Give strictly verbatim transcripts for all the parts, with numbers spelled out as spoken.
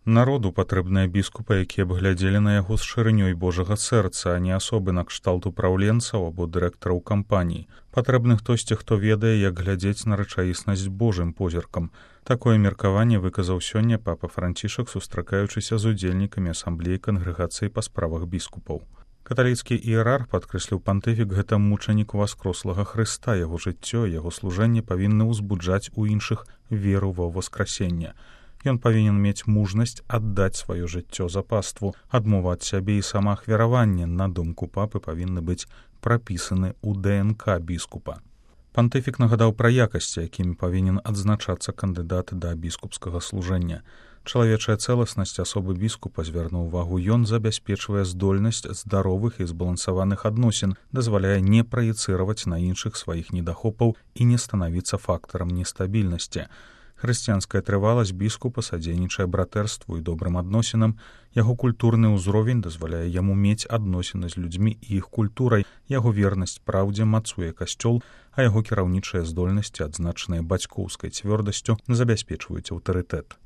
Народу патрэбныя біскупы, якія б глядзелі на яго з шырынёй Божага сэрца, а не асобы на кшталт упраўленцаў або дырэктараў кампаній. Патрэбны хтосьці, хто ведае, як глядзець на рэчаіснасць Божым позіркам. Такое меркаванне выказаў сёння папа Францішак, сустракаючыся з удзельнікамі асамблеі кангрэгацыі па справах біскупаў. Каталіцкі іерарх падкрэсліў пантыфік гэта мучанік васкрослага Хрыста, яго жыццё, яго служэнне павінны ўзбуджаць у іншых веру ва ўваскрасенне. Ён павінен мець мужнасць аддаць сваё жыццё за паству, адмова ад сябе і самаахвяраванне, на думку папы, павінны быць прапісаны ў ДНК біскупа. Пантыфік нагадаў пра якасці, якімі павінен адзначацца кандыдат да біскупскага служэння. Чалавечая цэласнасць асобы біскупа, звярнуў увагу ён, забяспечвае здольнасць здаровых і збалансаваных адносін, дазваляе не праецыраваць на іншых сваіх недахопаў і не станавіцца фактарам нестабільнасці. Хрысціянская трываласць біскупа садзейнічае братэрству і добрым адносінам, яго культурны ўзровень дазваляе яму мець адносіны з людзьмі і іх культурай, яго вернасць праўдзе мацуе касцёл, а яго кіраўнічыя здольнасці, адзначаныя бацькоўскай цвёрдасцю, забяспечваюць аўтарытэт.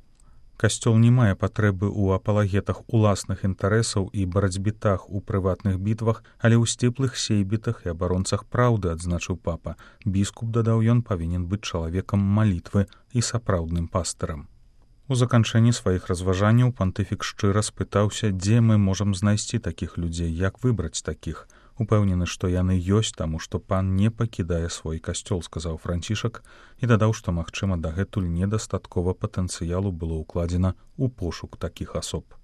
Касцёл не мае патрэбы ў апалагетах уласных інтарэсаў і барацьбітах у прыватных бітвах, але ў сціплых сейбітах і абаронцах праўды, адзначыў папа. Біскуп, дадаў ён, павінен быць чалавекам малітвы і сапраўдным пастырам. У заканчэнні сваіх разважанняў пантыфік шчыра спытаўся, дзе мы можам знайсці такіх людзей, як выбраць такіх. Упэўнены, што яны ёсць, таму што пан не пакідае свой касцёл, сказаў Францішак, і дадаў, што, магчыма, дагэтуль недастаткова патэнцыялу было ўкладзена ў пошук такіх асоб.